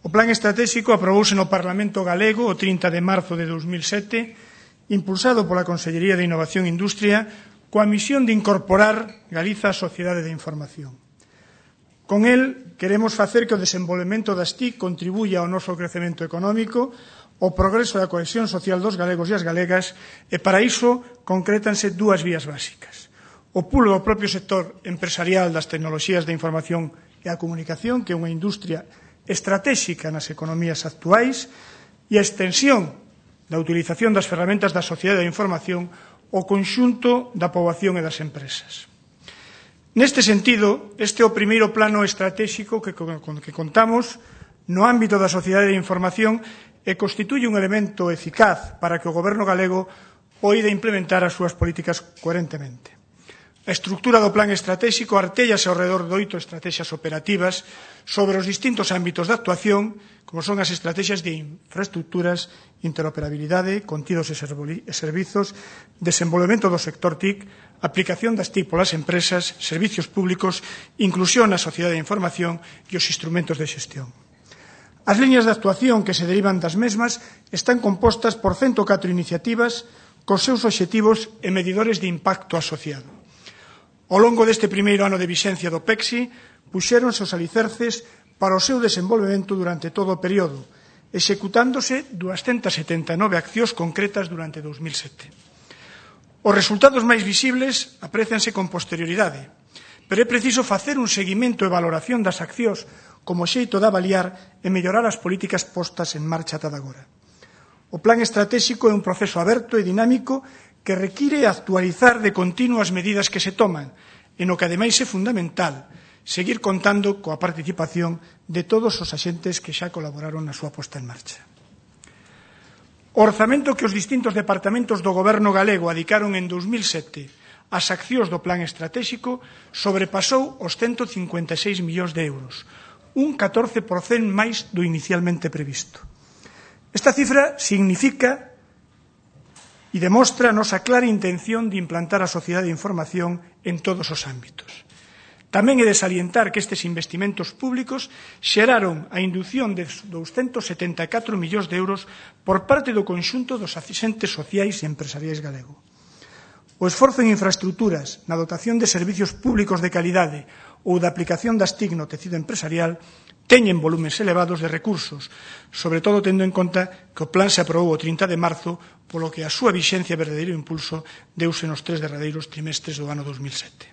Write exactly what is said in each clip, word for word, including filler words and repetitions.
O Plan Estratégico aprobouse no Parlamento galego o trinta de marzo de dos mil sete, impulsado pola Consellería de Innovación e Industria, coa misión de incorporar Galiza á sociedade de información. Con el, queremos facer que o desenvolvemento das T I C contribuya ao noso crecemento económico, ao progreso da cohesión social dos galegos e as galegas, e para iso concrétanse dúas vías básicas. O pulo do propio sector empresarial das tecnoloxías de información e a comunicación, que é unha industria estratégica nas economías actuais, e a extensión da utilización das ferramentas da sociedade da información ao conxunto da poboación e das empresas. Neste sentido, este é o primeiro plano estratégico que, con que contamos no ámbito da sociedade da información e constituye un elemento eficaz para que o Goberno galego poida implementar as súas políticas coherentemente. A estructura do plan estratégico artéllase ao redor de oito estrategias operativas sobre os distintos ámbitos de actuación, como son as estrategias de infraestructuras, interoperabilidade, contidos e servizos, desenvolvemento do sector T I C, aplicación das T I C polas empresas, servicios públicos, inclusión na sociedade de información e os instrumentos de xestión. As liñas de actuación que se derivan das mesmas están compostas por ciento catro iniciativas cos seus obxectivos e medidores de impacto asociado. Ao longo deste primeiro ano de vixencia do PECSI, puxéronse os alicerces para o seu desenvolvemento durante todo o período, executándose duascentas setenta e nove accións concretas durante dos mil sete. Os resultados máis visibles aprécianse con posterioridade, pero é preciso facer un seguimento e valoración das accións como xeito de avaliar e mellorar as políticas postas en marcha ata agora. O plan estratégico é un proceso aberto e dinámico que require actualizar de continuo as medidas que se toman, e no que ademais é fundamental seguir contando coa participación de todos os axentes que xa colaboraron na súa posta en marcha. O orzamento que os distintos departamentos do Goberno galego adicaron en dos mil sete ás accións do plan estratégico sobrepasou os ciento cincuenta e seis millóns de euros, un catorce por cento máis do inicialmente previsto. Esta cifra significa e demostra a nosa clara intención de implantar a sociedade de información en todos os ámbitos. Tamén é de salientar que estes investimentos públicos xeraron a indución de douscentos setenta e catro millóns de euros por parte do conxunto dos axentes sociais e empresariais galego. O esforzo en infraestructuras, na dotación de servicios públicos de calidade ou da aplicación das T I C no tecido empresarial teñen volumes elevados de recursos, sobre todo tendo en conta que o plan se aprobou o trinta de marzo, polo que a súa vixencia e verdadeiro impulso deuse nos tres derradeiros trimestres do ano dos mil sete.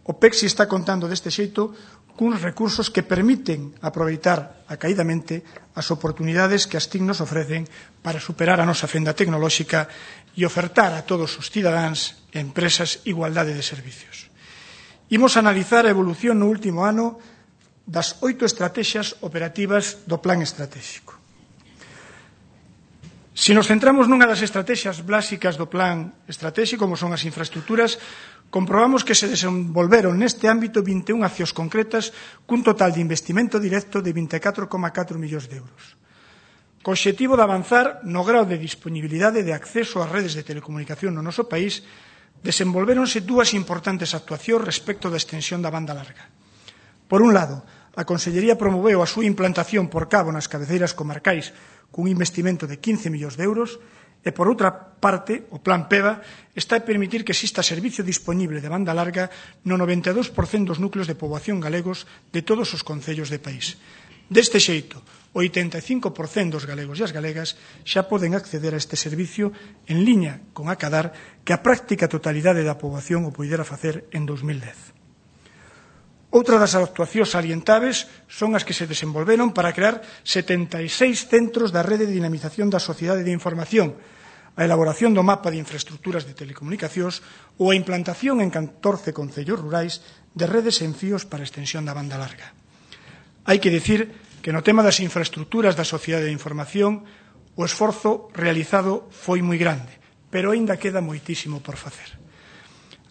O PECSI está contando deste xeito cuns recursos que permiten aproveitar acaidamente as oportunidades que as T I C nos ofrecen para superar a nosa fenda tecnolóxica e ofertar a todos os cidadáns e empresas igualdade de servicios. Imos analizar a evolución no último ano das oito estrategias operativas do plan estratégico. Se nos centramos nunha das estrategias básicas do plan estratégico, como son as infraestructuras, comprobamos que se desenvolveron neste ámbito vinte e unha accións concretas cun total de investimento directo de vinte e catro coma catro millóns de euros. Co obxectivo de avanzar no grao de disponibilidade de acceso ás redes de telecomunicación no noso país, desenvolvéronse dúas importantes actuacións respecto da extensión da banda larga. Por un lado, a Consellería promoveu a súa implantación por cabo nas cabeceiras comarcais cun investimento de quince millóns de euros e, por outra parte, o Plan PEVA está a permitir que exista servicio disponible de banda larga no noventa e dous por cento dos núcleos de poboación galegos de todos os concellos do país. Deste xeito, o oitenta e cinco por cento dos galegos e as galegas xa poden acceder a este servicio en liña con acadar que a práctica totalidade da poboación o poidera facer en dos mil dez. Outra das actuacións salientables son as que se desenvolveron para crear setenta e seis centros da rede de dinamización da sociedade de información, a elaboración do mapa de infraestructuras de telecomunicacións ou a implantación en catorce concellos rurais de redes en fíos para extensión da banda larga. Hai que dicir que no tema das infraestructuras da sociedade de información o esforzo realizado foi moi grande, pero aínda queda moitísimo por facer.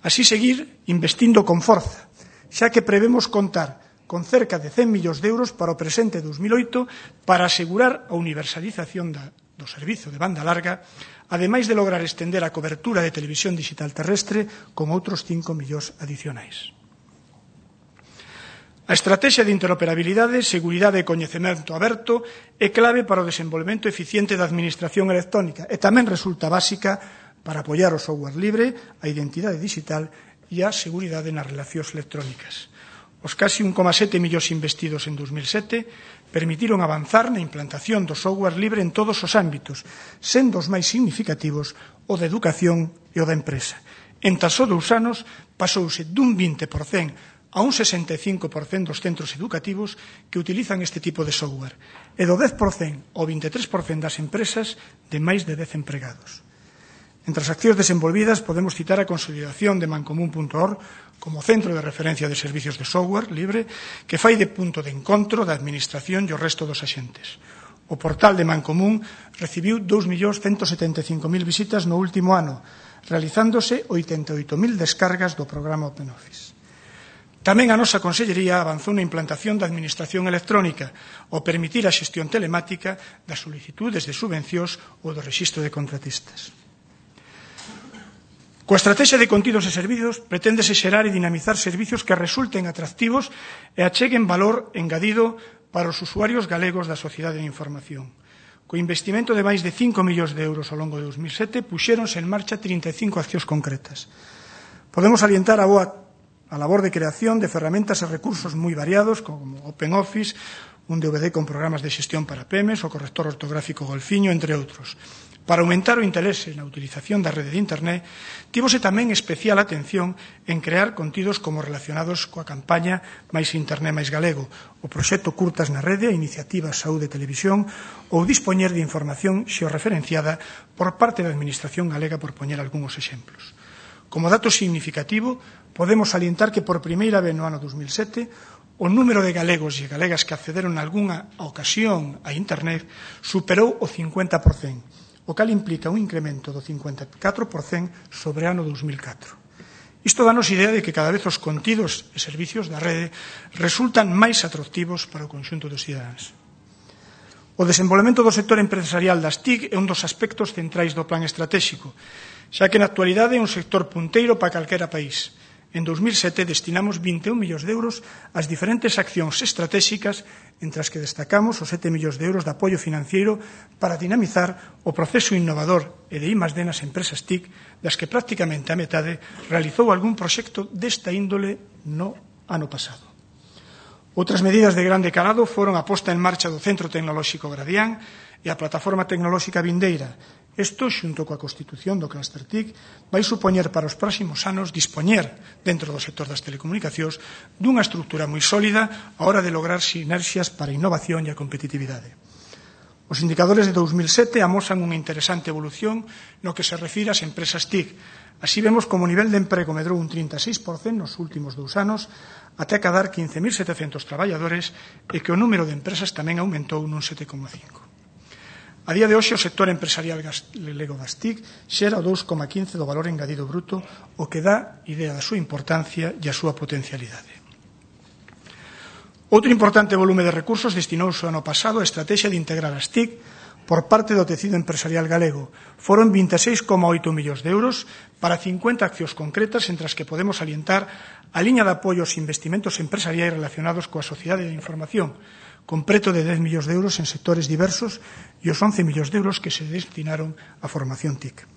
Así seguir investindo con forza, xa que prevemos contar con cerca de cen millóns de euros para o presente dos mil oito para asegurar a universalización da, do servizo de banda larga, ademais de lograr estender a cobertura de televisión digital terrestre con outros cinco millóns adicionais. A estrategia de interoperabilidade, seguridade e coñecemento aberto é clave para o desenvolvemento eficiente da administración electrónica e tamén resulta básica para apoiar o software libre, a identidade digital e a seguridade nas relacións electrónicas. Os casi un coma sete millóns investidos en dos mil sete permitiron avanzar na implantación do software libre en todos os ámbitos, sendo os máis significativos o da educación e o da empresa. En tan só dous anos pasouse dun vinte por cento a un sesenta e cinco por cento dos centros educativos que utilizan este tipo de software e do dez por cento ao vinte e tres por cento das empresas de máis de dez empregados. Entre as accións desenvolvidas podemos citar a consolidación de mancomún punto org como centro de referencia de servicios de software libre que fai de punto de encontro da administración e o resto dos axentes. O portal de Mancomún recibiu dous millóns ciento setenta e cinco mil visitas no último ano, realizándose oitenta e oito mil descargas do programa OpenOffice. Tamén a nosa Consellería avanzou na implantación da Administración Electrónica ao permitir a xestión telemática das solicitudes de subvencións ou do rexistro de contratistas. Coa estrategia de contidos e servizos preténdese xerar e dinamizar servizos que resulten atractivos e acheguen valor engadido para os usuarios galegos da sociedade de información. Co investimento de máis de cinco millóns de euros ao longo de dos mil sete puxéronse en marcha trinta e cinco accións concretas. Podemos salientar a boa a labor de creación de ferramentas e recursos moi variados como OpenOffice, un D V D con programas de xestión para pymes, o corrector ortográfico Golfiño, entre outros. Para aumentar o interese na utilización da rede de Internet, tivose tamén especial atención en crear contidos como relacionados coa campaña Máis Internet máis Galego, o proxecto Curtas na Rede, a iniciativa Saúde Televisión ou dispoñer de información xeorreferenciada por parte da Administración galega, por poñer algúns exemplos. Como dato significativo, podemos salientar que por primeira vez no ano dos mil sete o número de galegos e galegas que accederon a algunha ocasión a Internet superou o cincuenta por cento, o cal implica un incremento do cincuenta e catro por cento sobre o ano dos mil catro. Isto danos idea de que cada vez os contidos e servicios da rede resultan máis atractivos para o conxunto dos cidadáns. O desenvolvemento do sector empresarial das T I C é un dos aspectos centrais do plan estratégico, xa que na actualidade é un sector punteiro para calquera país. En dos mil sete destinamos vinte e un millóns de euros ás diferentes accións estratégicas, entre as que destacamos os sete millóns de euros de apoio financiero para dinamizar o proceso innovador e de I más D nas empresas T I C, das que prácticamente a metade realizou algún proxecto desta índole no ano pasado. Outras medidas de grande calado foron a posta en marcha do Centro Tecnolóxico Gradián e a Plataforma Tecnolóxica Vindeira. Isto, xunto coa constitución do Cluster T I C, vai supoñer para os próximos anos dispoñer, dentro do sector das telecomunicacións, dunha estrutura moi sólida a hora de lograr sinerxias para a innovación e a competitividade. Os indicadores de dos mil sete amosan unha interesante evolución no que se refire ás empresas T I C. Así vemos como o nivel de emprego medrou un trinta e seis por cento nos últimos dous anos, até acadar quince mil setecentos traballadores e que o número de empresas tamén aumentou nun sete coma cinco. A día de hoxe, o sector empresarial galego das T I C xera o dous coma quince do valor engadido bruto, o que dá idea da súa importancia e a súa potencialidade. Outro importante volume de recursos destinouse o ano pasado a estrategia de integrar as T I C por parte do tecido empresarial galego. Foron vinte e seis coma oito millóns de euros para cincuenta accións concretas, entre as que podemos salientar a liña de apoio aos investimentos empresariais relacionados coa sociedade de información, con preto de dez millóns de euros en sectores diversos e os once millóns de euros que se destinaron á formación T I C.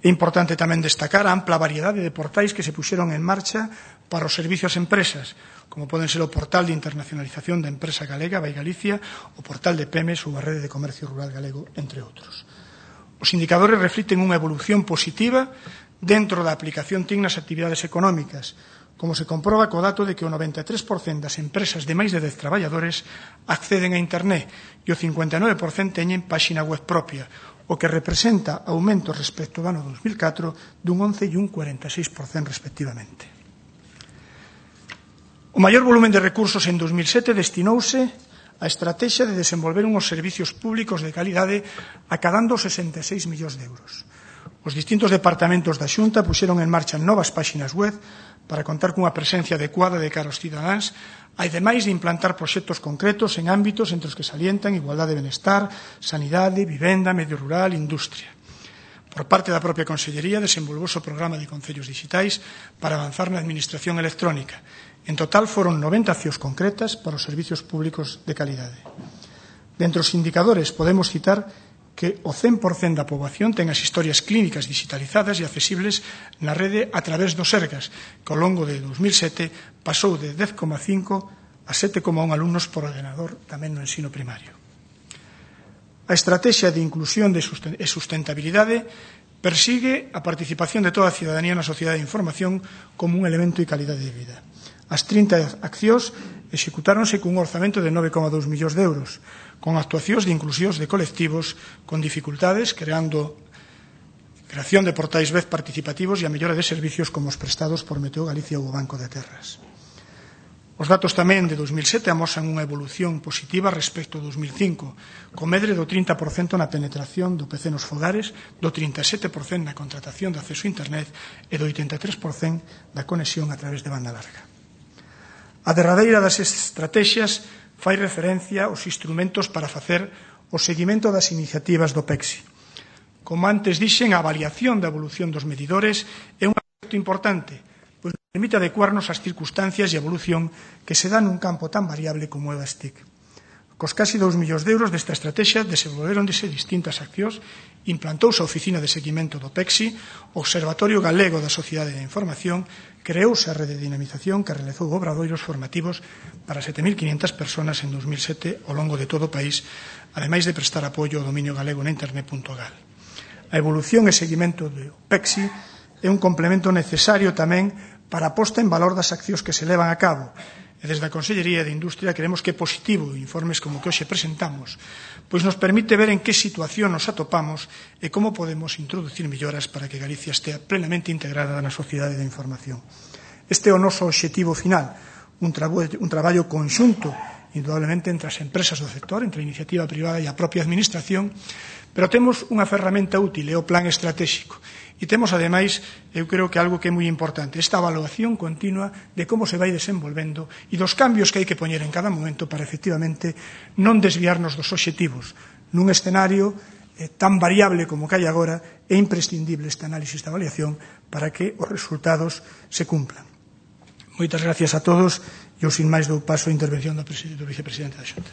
É importante tamén destacar a ampla variedade de portais que se puxeron en marcha para os servicios ás empresas, como poden ser o portal de internacionalización da empresa galega, Vai Galicia, o portal de Pymes ou a rede de comercio rural galego, entre outros. Os indicadores reflicten unha evolución positiva dentro da aplicación T I C nas actividades económicas, como se comproba co dato de que o noventa e tres por cento das empresas de máis de dez traballadores acceden a Internet e o cincuenta e nove por cento teñen páxina web propia, o que representa aumento respecto do ano dos mil catro dun once e un cuarenta e seis por cento respectivamente. O maior volumen de recursos en dos mil sete destinouse a estrategia de desenvolver unhos servicios públicos de calidade acadando sesenta e seis millóns de euros. Os distintos departamentos da Xunta puxeron en marcha novas páxinas web para contar cunha presencia adecuada de cara aos cidadáns, ademais de implantar proxectos concretos en ámbitos entre os que salientan igualdade e benestar, sanidade, vivenda, medio rural, industria. Por parte da propia Consellería desenvolvouse o programa de concellos digitais para avanzar na administración electrónica En total foron noventa accións concretas para os servizos públicos de calidade. Dentre os indicadores podemos citar que o cen por cento da poboación ten as historias clínicas digitalizadas e accesibles na rede a través dos Sergas, que ao longo de dos mil sete pasou de dez coma cinco a sete coma un alumnos por ordenador tamén no ensino primario. A estrategia de inclusión e sustentabilidade persigue a participación de toda a cidadanía na sociedade de información como un elemento de calidade de vida. As trinta accións executáronse cun orzamento de nove coma dous millóns de euros, con actuacións de inclusións de colectivos con dificultades, creando creación de portais web participativos e a mellora de servicios como os prestados por Meteo Galicia ou o Banco de Terras. Os datos tamén de dos mil sete amosan unha evolución positiva respecto a dos mil cinco, con medre do trinta por cento na penetración do P C nos fogares, do trinta e sete por cento na contratación de acceso a Internet e do oitenta e tres por cento da conexión a través de banda larga. A derradeira das estratexias fai referencia aos instrumentos para facer o seguimento das iniciativas do PECSI. Como antes dixen, a avaliación da evolución dos medidores é un aspecto importante, pois nos permite adecuarnos ás circunstancias e a evolución que se dá nun campo tan variable como é as T I C. Cos casi dous millóns de euros desta estrategia desenvolveronse distintas accións, implantouse a Oficina de Seguimento do PECSI, o Observatorio Galego da Sociedade da Información, creouse a rede de dinamización que realizou obradoiros formativos para sete mil quinhentas persoas en dos mil sete ao longo de todo o país, ademais de prestar apoio ao dominio galego na internet punto gal. A evolución e seguimento do PECSI é un complemento necesario tamén para a posta en valor das accións que se levan a cabo. E desde a Consellería de Industria creemos que é positivo informes como que hoxe presentamos, pois nos permite ver en que situación nos atopamos e como podemos introducir melloras para que Galicia estea plenamente integrada na sociedade da información. Este é o noso obxectivo final, un, trabo, un traballo conxunto, indudablemente, entre as empresas do sector, entre a iniciativa privada e a propia administración, pero temos unha ferramenta útil, é o plan estratégico. E temos, ademais, eu creo que algo que é moi importante, esta evaluación continua de como se vai desenvolvendo e dos cambios que hai que poñer en cada momento para, efectivamente, non desviarnos dos obxectivos. Nun escenario eh, tan variable como que hai agora, é imprescindible este análisis de avaliación para que os resultados se cumplan. Moitas gracias a todos e eu, sin máis, dou paso a intervención do, do vicepresidente da Xunta.